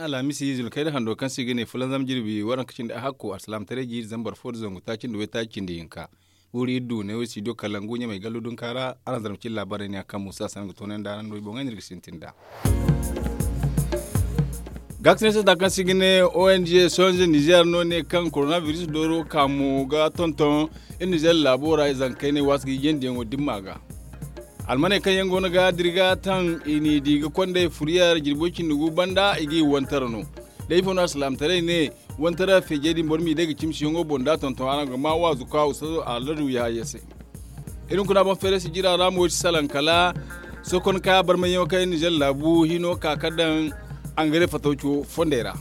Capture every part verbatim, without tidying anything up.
Alhamisi zulkayda hando kaŋ se i ga ne fulanzam jirbi waranka cindi a hakko alsalaamataray jiiri zambar fo nda zangu taaci nda waytaaci cindi hinka. Guuri iri du neewo studio kalangu ɲamay gallu dunka ra. Araŋ zarma cine laabaarey ne a kaŋ muusa sanda ga toonandi araŋ no i boŋey no iri ga sintin nd'a. Gaakasine sata kaŋ se i ga ne ong sonze nizeer no ne kaŋ koronabiris dooro kaamo ga tonton iri nizeer laabo ra i zanka kaynay waasi ga hijandiyaŋo dimma ga. Almaney kaŋ yaŋ goono ga dira ga taŋ i n'i di ga kondey furiyar jirbo cindi gu banda i ga i wantar no. Da ifo no alsalaamataray ne wantar feejey din boro m'i day ga cimsiyaŋo boŋ da a tonton araŋ ga maa waazu ka ustazo aladu yahaya se. Iri hunkuna boŋ feeray si jira ra mo iri si salaŋ kala sokon kaya barmayyaŋo kaŋ iri nizeer laabu hino ka ka daŋ angare fatawco fondey ra.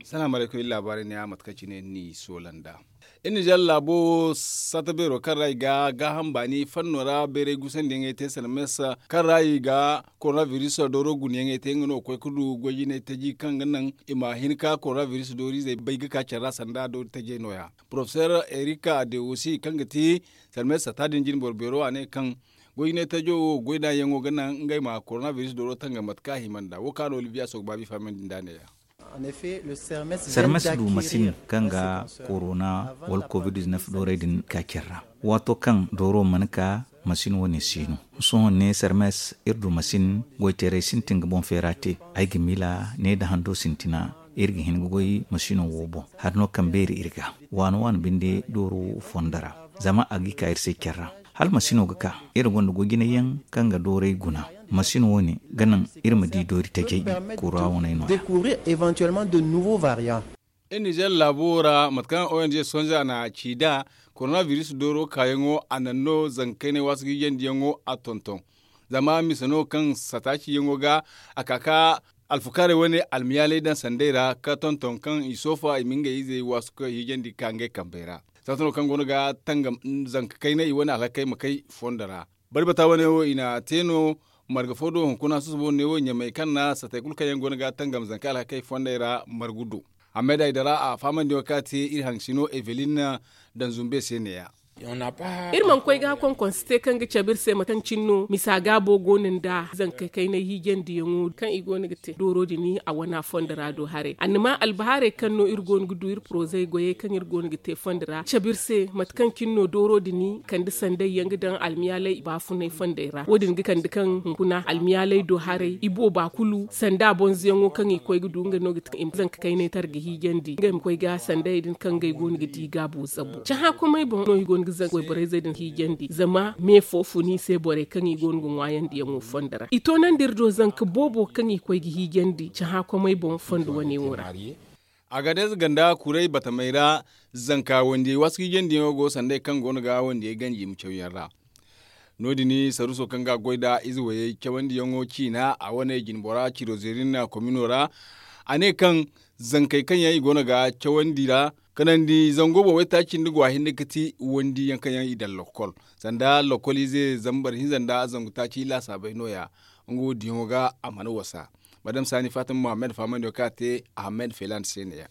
Salaamu alaykum iri laabaarey ne a mate kaŋ cine ni soola nd'a. Iri nizeer laabo saata beero kaŋ ra i ga gaaham baani fanno ra bayray gusandiyaŋey te sanda mesa kaŋ ra i ga koronabiris dooro gunayaŋey te nga no ga koy ga du goy jinay taji kaŋ ga naŋ i ma hin ka koronabiris dooriizey bay ga ka care ra sanda doori tajey nooya. Porofeser erika dewosi kaŋ ga ti sanda mesa saata din jinboro beero a ne kaŋ goy jinay tajo wo goy da yaŋo ga naŋ ngey ma koronabiris dooro tangam mate kaŋ a hima nd'a wo kaŋ a na olibiya soogu baabi fahamandi nd'a ne-ya. Sarmes du masin kaŋ ga korona wala covid-19 doorey din ka care ra. Waato kaŋ dooro mana ka masin wane si no. Sohõ ne sarmes iri du masin goyteerey sintin ga boŋ feera te. Ay ga miila ne nda hando sintina iri ga hin ga goy masino wo boŋ hari no kaŋ beeri iri ga waano waano binde dooro fondo ra. Zama a ga i ka iri se care ra hala masino ga ka iri gonda goy jinay yaŋ kaŋ ga doorey guna. Masin wo- ne ga naŋ iri ma di doori tajey kura waney no ya. Iri nizeer laabo ra mate kaŋ ong sonza na ci nd'a koronabiris dooro kaayaŋo a naŋ no zanka kaynay waasu ga hijandiyaŋo a tonton. Zama mise no kaŋ sataaciyaŋo ga a ka ka alfukaarey wane almiyaaley daŋ sandey ra ka tonton kaŋ i soofa i ma ngey izey waasu ka hijandi ka ngey kambey ra. Saata no kaŋ go no ga tangam zanka kaynay i wane alhakey ma kay fondo ra. Bari bata wane wo i na te no marga fo do hunkuna susubo ne wo ɲamay kaŋ na satey kulu kaŋ yaŋ go no ga tangam zanka alhakey fondey ra margu do. Amma day dara a fahamandi wo kaŋ a te iri haŋ sino evelin daŋ zumbe se ne- ya. Iri mana koy ga konkonsi te kaŋ ga cabe iri se mate kaŋ cine no misa gaabo go no nda zankey kaynay hiijandiyaŋo kaŋ i go no ga te dooro din a wana fondo ra do haray annama albahaarey kaŋ no iri go no ga du iri porozey goyey kaŋ iri go no ga te fondo ra cabe iri se mate kaŋ cine no dooro din kande sandey yaŋ ga daŋ almiyaaley baafunay fondey ra wo- din ga kande kaŋ hunkuna almiyaaley do haray i booba kulu sanda bonzoyaŋo kaŋ i koy ga du nga no ga te i ma zanka kaynay tara ga hiijandi ngey ma koy ga sandayey din kaŋ ngey go no ga di gaabo zabu cahã komey boŋ no i go no ga zanka wayborey zey din hiijandi zama me fo fun i se borey kaŋ i go no ga ŋwaayandiyaŋo fondo ra i toonandi iri do zanka boobo kaŋ i koy ga hiijandi cahã komey boŋ fondo wane wo ra. Agadez ganda kuray batamey ra zanka wandiyey waasu hiijandiyaŋo go sandey kaŋ go no ga wandiyey ganji ma cawyaŋ ra. No- din saruso kaŋ ga a goy nda ize wayey cawandiyaŋo ciina a wane jinbora cirozerin komino ra. A ne kaŋ zankey kaŋ yaŋ i go no ga cawandi ra kanandi zango boŋ waytaaci nda go a hinne ga ti wandiyaŋ kaŋ yaŋ i daŋ lokkol sanda lokkol ize zambar hinza nda zangu taaci laasaabey no- ya. Nga wo diyaŋo ga a mana wasa madam sani fatima muhammad fahamandi wo kaŋ a te ahamed feland se ne- ya.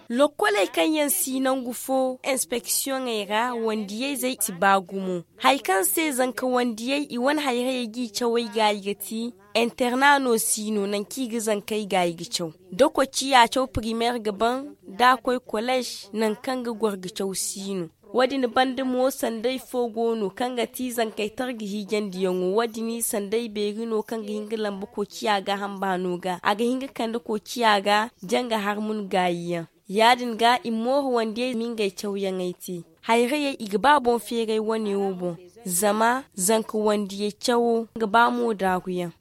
Lokkoley kaŋ yaŋ si nangu fo inspeksiyoŋey ra wandiyayzey si ba gumo hari kaŋ se zanka wandiyey i wane hayrayey g'i cawey gaayi ga ti interna no si no nangu kaŋ i ga zankey gaayi ga caw da kociya caw primer ga ban da a koy kolej nangu kaŋ ga goro ga caw si no. Wo- din banda mo sanday fo go no kaŋ ga ti zankey targa hiijandiyaŋo wo- din sanday beeri no kaŋ ga hin ga lamba koociya gaaham baano ga a ga hin ga kande koociya ga janga harmun gaayiyaŋ. Ya- din ga i mooru wandiyey ma ngey cawyaŋey te hayrayey i ga ba boŋ feeray wane wo boŋ zama zanka wandiyey cawo ga ba mo daaruyaŋ.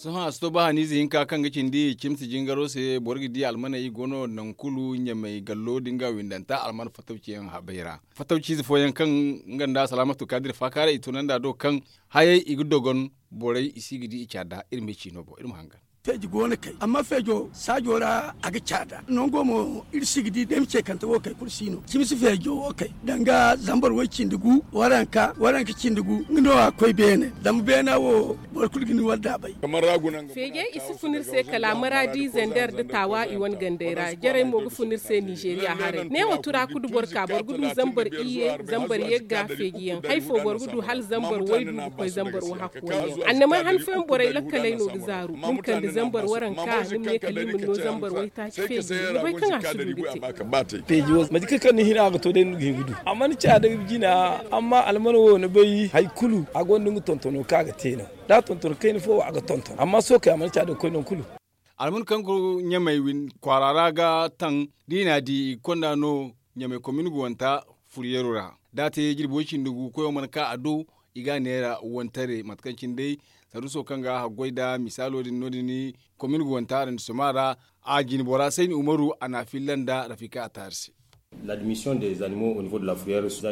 Sohõ a si to ba haniize hinka kaŋ ga cindi cimsi jingaro se boro ga di almaney go no nangu kulu ɲamey gallo da nga windanta alman fatawciyaŋ habey ra fatawciize fooyaŋ kaŋ nga nda salaamatu kaadir faakaaray i tunandi a do kaŋ hayey i ga dogon borey i si ga di i caada iri ma ciino boŋ iri ma hangan. Feeji go no kay, amma feejo saajo ra a ga caada nango mo. Iri si ga di da ay ma ce kante wo kay kulu si no, cimi si feejo wo kay danga zambar way cindi gu, waranka waranka cindi gu nga no a koy beene. Zama beena wo boro kulu ga ni wadda bay. Feejey i si fun iri se kala maradi zender nda taawa i wane gandey ra jarey mo ga fun iri se nizeeriya haray neewo tura kudu boro ka boro ga du zambar iyye zambar yagga feeji yaŋ hay fo boro ga du hala zambar waydu ga koy zambar wahakku wayyaŋ annamay han fooyaŋ borey lakkaley no ga zaaru ni ma kande zambar waranka ni ma ne kala i ma ni no zambar waytaaci feeji ni bay kaŋ a si du ga te. Peeji wo mate kaŋ kaŋ ni hina a ga to day ni ga hin ga du amma ni ca da jina. Amma almana wo ni bay hari kulu a gonda nga tontono kaŋ a ga te no. Da a tonton kayna fo wo a ga tonton amma sohõ kay a mana ca da ga koy nangu kulu. Alman kaŋ ga ɲamay kwaara ra ga taŋ da i n'a di i ga konda no ɲamay komin ga wanta furyeero ra. Da a te jirbi way cindi gu koyo mana ka a do i ga a neera wantare mate kaŋ cine day saruuso kaŋ ga haggoy nda misaalo din no- din komin ga wanta arrondissement ra. A jine bora sayni umaru a n'a filla nda rafika a taari se.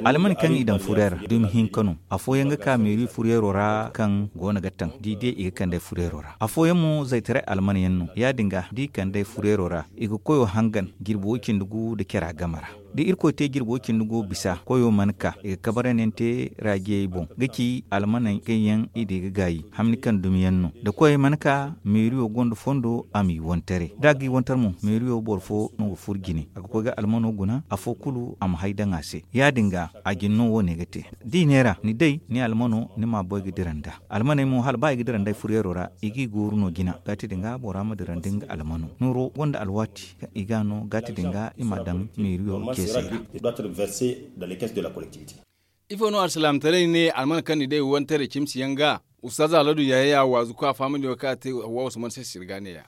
Alman kaŋ i daŋ furyeero ra dumi hinka no. Afooyaŋ ga ka meeri furyeero ra kaŋ go no ga taŋ da i di i ga kand'ey furyeero ra afooyaŋ mo zaytaray alman yaŋ no ya- din ga da i kand'ey furyeero ra i ga koyo hangan jirbi way cindi gu nda cara game ra. Da irkoy te jirbi way cindi gu bisa koyo mana ka i ga kabarandi yaŋ te raajiyey boŋ ga ci almaney kaŋ yaŋ i di ga gaayi hamni kaŋ dumi yaŋ no da koyey mana ka meeriyo gonda fondo a m'i wantaray da a g'i wantar mo meeriyo boro fo no ga furo jine a ga koy ga almano guna afo kulu a ma hay daŋ a se. Ya- din ga a jine no wo- ne ga te da i neera ni day ni almano ni m'a boy ga dira nd'a. Almaney mo hala ba i ga dira nd'ey furyeero ra i g'i gooru no jina gaati din ga bora ma dira nda nga almano nooro gonda alwaati kaŋ i ga no gaati din ga i m'a daŋ meeriyo ceesey ra. Ifo no alsilaamataray ne alman kaŋ ni day wantaray cimsi yaŋ ga ustaaza haladu yahaya waazu kaŋ a fahamandi wo kaŋ a te hawwa usman se sirga ne ya.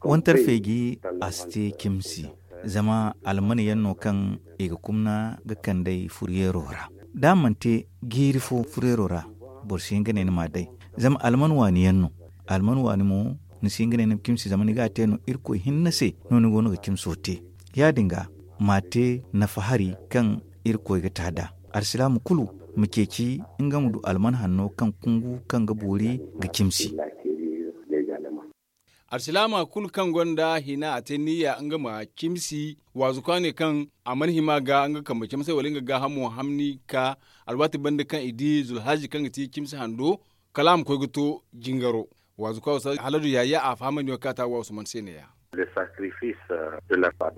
Wantar feeji a si te cimsi zama alman yaŋ no kaŋ i ga kumna ga kand'ey furyeero ra da a mana te jiiri fo furyeero ra boro si hin ga ne ni m'a day. Zama alman waani yaŋ no alman waani mo ni si hin ga ne ni ma cimsi zama ni ga a te no irkoy hinne se no ni go no ga cimso te. Ya- din ga m'a te nafa hari kaŋ irkoy ga ta nd'a alsilaama kulu ma ceeci nga ma du alman hanno kaŋ kungu kaŋ ga boori ga cimsi. Alsilaama kulu kaŋ gonda hina a te niyya nga ma cimsi waazu kaŋ a ne kaŋ a mana hima ga nga kambe camsey wala nga gaahamo hamni ka alwaati banda kaŋ i di zulhazi kaŋ ga ti cimsi hando kala a ma koy ga to jingaro. Waazu kaŋ a wasa haladu yaaye a fahamandi wo kaŋ a te a waasu mana se ne- ya.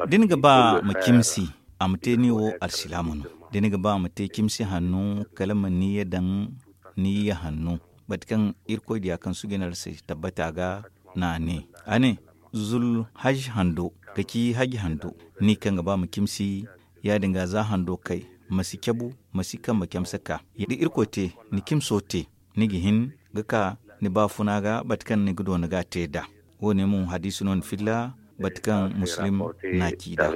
Da ni ga ba ma cimsi a ma te ni wo alsilaama no. Da ni ga ba ma te cimsi hanno kala ma niyya daŋ niyya hanno mate kaŋ irkoy diya kaŋ suuji no a se tabbata ga no a ne a ne zul haji hando ga ci haji hando ni kaŋ ga ba ma cimsi ya- din ga za hando kay ma si cabu ma si kambe camse ka da irkoy te ni cimso te ni ga hin ga ka ni baafuna ga mate kaŋ ni ga doona ga a te nd'a. Wo- ne mo hadiisi no ni filla mate kaŋ muslim n'a ci nd'a.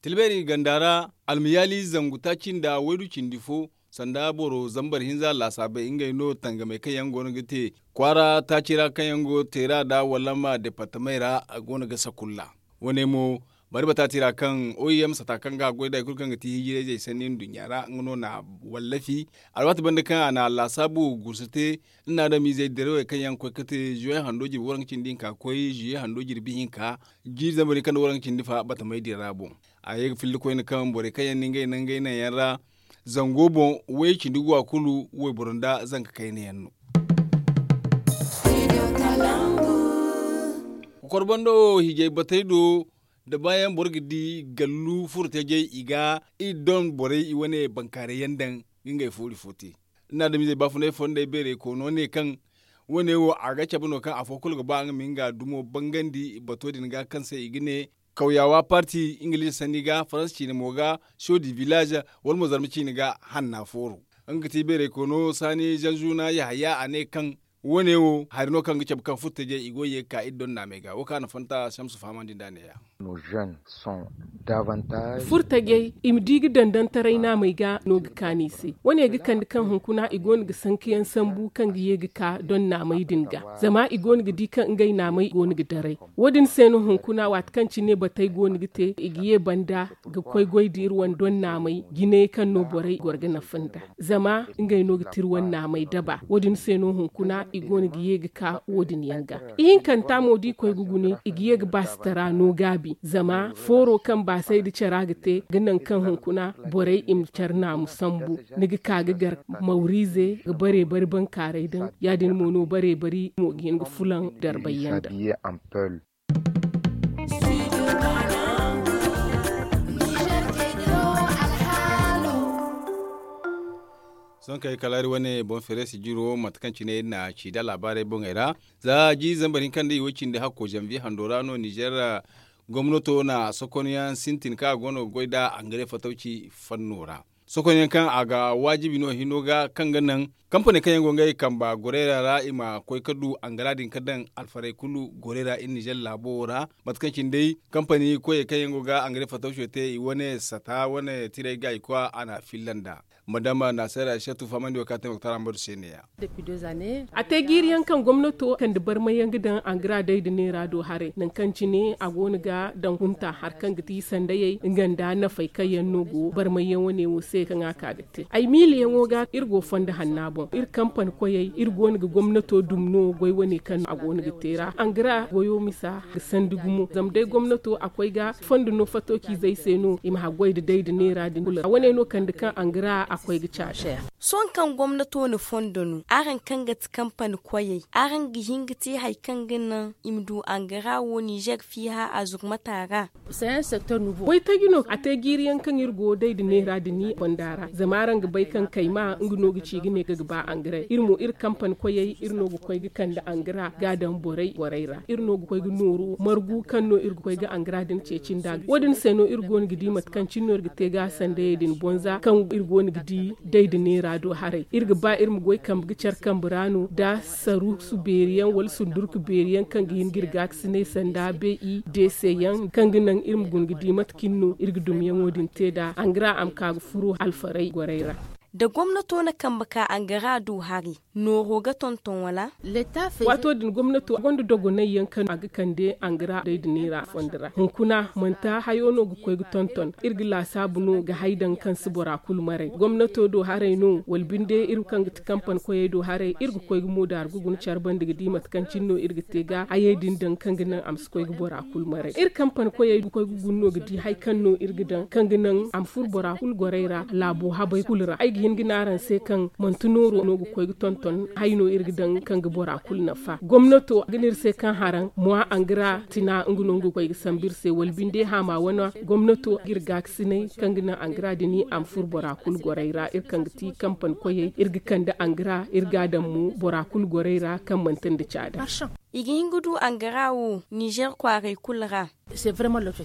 Tilbeeri ganda ra almiyaali zangu taaci nda waydu cindi fo sanda boro zambar hinza laasaabey ngey no tangamey kaŋ yaŋ go no ga te kwaara taaci ra kaŋ yaŋ go teera nda wallama departamey ra a go no ga sakulla. Wo- ne mo bari bataati ra kaŋ oim sata kaŋ ga a goy da hari kulu kaŋ ga ti hijirayzey sanni nduɲɲa ra nga no na a wallafi alwaati banda kaŋ a na laasaabu gursu te nda adamizey dirawey kaŋ yaŋ ga koy ga te zuwe hando jirbi waranka cindi hinka ga koy zuwe hando jirbi hinka jiiri zambar hinka nda waranka cindi fa batamey din ra boŋ. A ye ga filla koyne kaŋ borey kaŋ yaŋ na ngey naŋ ngey naŋ yaŋ ra zango boŋ way cindi guwa kulu wayboro nda zanka kayna yaŋ no. Kokor bando wo hijay batey do da baayaŋ boro ga di gallu furo tajey i ga iri don borey i wane bankaaray yaŋ daŋ ga ngey foori fo te. Ni na adamizey baafunay fondey beeray koono ne kaŋ wo- ne wo a ga cabe no kaŋ afo kulu ga ba nga ma nga dumo bangandi bato din ga kaŋ se i ga ne kawyaawa parti ingiliize sanni ga faransa ciine mo ga sho di village wala mo zarma ciine ga hanna fooro. Nga ga ti beeray koono saani zanzuna yahaya a ne kaŋ wo- ne wo hari no kaŋ ga cabe kaŋ furtajey i go ga ye ga ka iri don naamey ga wo kaŋ a na fanta samsu fahamandi nd'a ne- ya. Furtajey i ma di ga dandantaray naamey ga no ga kaanu i se. Wo- ne ga kande kaŋ hunkuna i go no ga sankayaŋ sambu kaŋ ga ye ga ka don naamey din ga zama i go no ga di kaŋ ngey naamey go no ga daray. Wo- din se no hunkuna waati kaŋ cine batey go no ga te i ga ye banda ga koy goy da iri wane don naamey jinayey kaŋ no borey goro ga nafa nd'a zama ngey no ga ti iri wane naamey daba wo- din se no hunkuna. i go no ga ye ga ka wo- din yaŋ ga. Ihinkanta mo da i koy ga gune, i ga ye ga baasitara no gaabi zama fooro kaŋ baasay nda cara ga te ga naŋ kaŋ hunkuna borey i ma care naamu sambu. Ni ga ka ga gar mawriize ga bare bari bankaaray daŋ. Ya- din mo no bare bari mo ga hin ga fulaŋ darbay yaŋ daŋ. Sohõ kay kala iri wane boŋ feere sijiro mate kaŋ cine iri na ci da laabaarey boŋey ra. Za jiiri zambar hinka nda i way cindi hakko zanviye hando ra no nizer gomnato na sokonyaŋ sintin kaŋ a go no ga goy nd'a angare fatawci fanno ra. Sokonyaŋ kaŋ a ga waajibi no hino ga kaŋ ga naŋ kampaney kaŋ yaŋ go ngey kamba gorey ra i ma koy ga du angara din ga daŋ alfarey kulu gorey ra iri nizer laabo wo ra. Mate kaŋ cine day kampani koyey kaŋ yaŋ go ga angare fatawco te i wane sata wane tirey ga i koy a na a filla nd'a. Madama naseera ay se tuufa mandi wo kaŋ a te ma ga tara mbaru se ne ya. A te jiiri yaŋ kaŋ gomnato kande barmay yaŋ ga daŋ angara day nda neera do haray nangu kaŋ cine a go no ga daŋ hunta hari kaŋ ga ti sandayey nga nda nafey kaŋ yaŋ no go barmay yaŋ wane wo se kaŋ a ka ga te ay miila yaŋo ga iri go fondo hanna boŋ iri kampani koyey iri go no ga gomnato dumi no goy wane kaŋ a go no ga te ra angara goyo misa ga sandi gumo zama day gomnato a koy ga fondo no fato ciizey se no i ma haggoy nda day nda neera din kulu ra wane no kande kaŋ angara a koy ga caase. Sohõ kaŋ gomnato na fondo no araŋ kaŋ ga ti kampani koyey araŋ ga hin ga te hari kaŋ ga naŋ i ma du angara wo nizer fiiha a zurmata ra. Waytaji no a te jiiri yaŋ kaŋ iri go day nda neera din i fonda ra zama araŋ ga bay kaŋ kayma nga no ga ci ga ne ga ga ba angara iri mo iri kampani koyey iri no ga koy ga kande angara ga a daŋ borey borey ra iri no ga koy ga nooru margu kaŋ no iri ga koy ga angara din ceeci nd'a wo- din se no iri go no ga di mate kaŋ cine no iri ga te ga sandayey din bonza kaŋ iri go no ga di day nda neera do haray iri ga ba iri ma goy kambe ga care kambe ra no nda saruusu beeri yaŋ wala sundurku beeri yaŋ kaŋ ga hin ga iri gaakasinay sanda be i deese yaŋ kaŋ ga naŋ iri ma guna ga di mate kaŋ no iri ga dumiyaŋo din te nd'a angara a ma ka ga furo alfarey gorey ra. Da gomnato na kambe ka angara du hari nooro ga tonton wala? Waato din gomnato gonda dogonay yaŋ kaŋ a ga kande angara day nda neera fondo ra hunkuna manti hayo no ga koy ga tonton iri ga laasaabu no ga hay daŋ kaŋ si bora kulu maray gomnato do haray no wala binde iri kaŋ ga ti kampani koyey do haray iri ga koy ga moodaari ga guna care banda ga di mate kaŋ cine no iri ga te ga hayey din daŋ kaŋ ga naŋ a ma si koy ga bora kulu maray iri kampani koyey ga koy ga guna no ga di hari kaŋ no iri ga daŋ kaŋ ga naŋ a ma furo bora kulu gorey ra laabo habey kulu ra ay ga hin ga ne araŋ se kaŋ manti nooro no ga koy ga tonton hay no iri ga daŋ kaŋ ga bora kulu nafa gomnato ga ne iri se kaŋ haraŋ mowa angara tina nga no nga ga koy ga sambu iri se wala binde haama wane gomnato ga iri gaakasinay kaŋ ga naŋ angara din a ma furo bora kulu gorey ra iri kaŋ ga ti kampani koyey iri ga kande angara iri ga a daŋ mo bora kulu gorey ra kaŋ manti nda caada. I ga hin ga du angara wo nizer kwaaray kulu ra.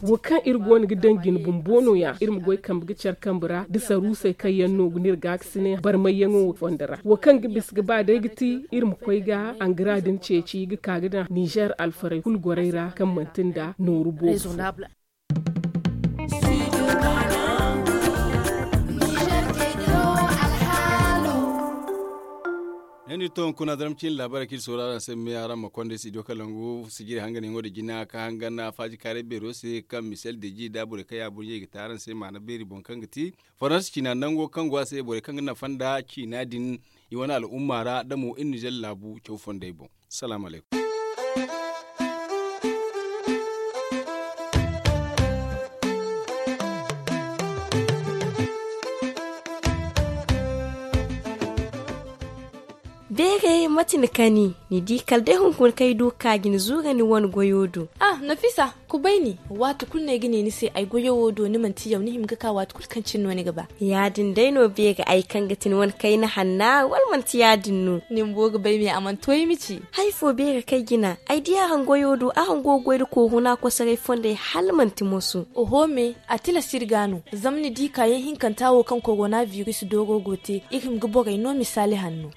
Wo kaŋ iri go no ga daŋ jine bumbo no- ya iri ma goy kambe ga care kambe ra da saruusey kaŋ yaŋ no ga no iri gaakasinay barmayyaŋo fondo ra wo kaŋ ga bisa ga ba day ga ti iri ma koy ga angara din ceeci ga ka ga daŋ nizer alfarey kulu gorey ra kaŋ manti nda nooru boobo. Ne no iri to hunkuna zaram cine laabaarey kaŋ iri sooru araŋ se ma may araŋ ma konda studio kalangu sijiri hanganyaŋo da jina ka hangan faaji kaaray beero se kaŋ misel deji nda borey kaŋ ya burɲey ga te araŋ se maana beeri boŋ kaŋ ga ti faransa ciina nango kaŋ go a se borey kaŋ ga nafa nda ciina din i wane al'umma ra da mo iri nizer laabu caw fondey boŋ. Salaamu alaykum. Beere mate ni kani ni di kala day hunkuna kaŋ ay du ga ka ga ni zuura ni wane goyo do. Ah, nafisa, kubay ni. Waati kulu no ay ga ne ni se ay goyo wo do ni manti yaw ni hima ga ka waati kulu kaŋ cine no ni ga ba. Ya- din day no beere ay kaŋ ga ti ni wane kayna hanna wala manti ya- din no? Ni bumbo ga bay me a mana to ay ma ci. Hari fo beere kaŋ ay jina ay di araŋ goyo do araŋ go ga goy nda koohuna kosoray fondey hala manti moso. Oho me, a tilas iri ga no. Zama ni di kaayaŋ hinkanta wo kaŋ korona biris dooro go te iri hima ga borey no misaali hanno.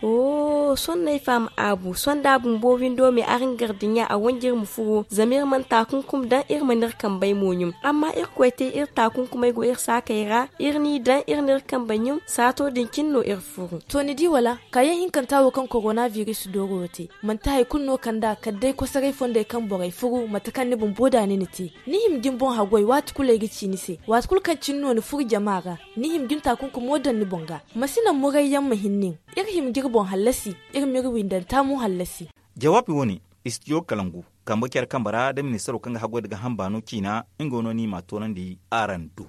Sohõ no ay faham aabu sohõ da a bumbo windo me araŋ gar dinya a wanji iri ma furo zama iri mana taakunkum daŋ iri mana iri kambey mo ɲum. Amma irkoy te iri taakunkumey go iri saakey ra iri n'i daŋ iri n'iri kambey ɲum saato din cine no iri furu. To ni di wala? Kaayaŋ hinkanta wo kaŋ korona biris dooro wo te manti hari kulu no kand'a kala day kosoray fondey kaŋ borey furu mate kaŋ ni bumbo da ni na te. Ni hima ga ni boŋ haggoy waati kulu ay ga ci ni se waati kulu kaŋ cine no ni furu jama ra. Ni hima ga ni taakunkumo daŋ ni boŋ ga. Ma si naŋ murayyaŋ ma hin nin. Iri hima ga iri boŋ hallasi. Iri m'iri wi. Nda nta mo hallasi. Jawaabi wo- ne, istijo kalangu kambe care kambe ra nda ministaro kaŋ ga haggoy nda ga hamba no ciina nga no no i m'a toonandi araŋ do.